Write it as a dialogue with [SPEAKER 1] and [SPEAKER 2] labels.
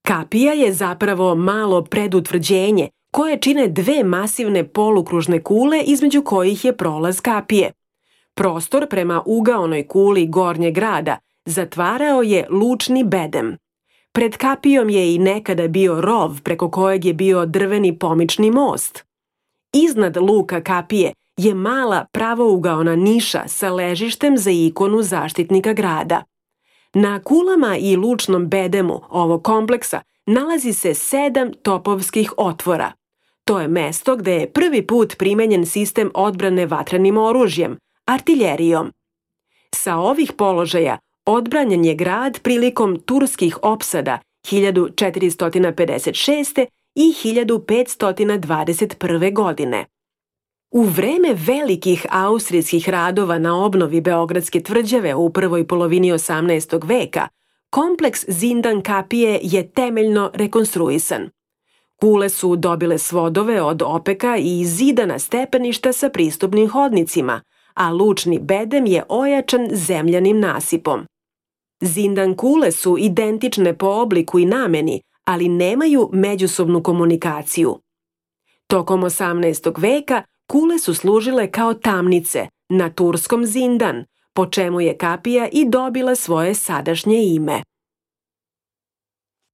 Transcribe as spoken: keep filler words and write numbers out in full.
[SPEAKER 1] Kapija je zapravo malo predutvrđenje koje čine dve masivne polukružne kule između kojih je prolaz kapije. Prostor prema ugaonoj kuli gornjeg grada zatvarao je lučni bedem. Pred kapijom je i nekada bio rov preko kojeg je bio drveni pomični most. Iznad luka kapije je mala pravougaona niša sa ležištem za ikonu zaštitnika grada. Na kulama i lučnom bedemu ovog kompleksa nalazi se sedam topovskih otvora. To je mesto gde je prvi put primenjen sistem odbrane vatrenim oružjem, artiljerijom. Sa ovih položaja odbranjen je grad prilikom turskih opsada hiljadu četiristo pedeset šeste. i hiljadu petsto dvadeset prve. godine. U vreme velikih austrijskih radova na obnovi Beogradske tvrđave u prvoj polovini osamnaestog veka, kompleks Zindan kapije je temeljno rekonstruisan. Kule su dobile svodove od opeka i zidana stepeništa sa pristupnim hodnicima, a lučni bedem je ojačan zemljanim nasipom. Zindan kule su identične po obliku i nameni, ali nemaju međusobnu komunikaciju. Tokom osamnaestog veka kule su služile kao tamnice na turskom Zindan, po čemu je kapija i dobila svoje sadašnje ime.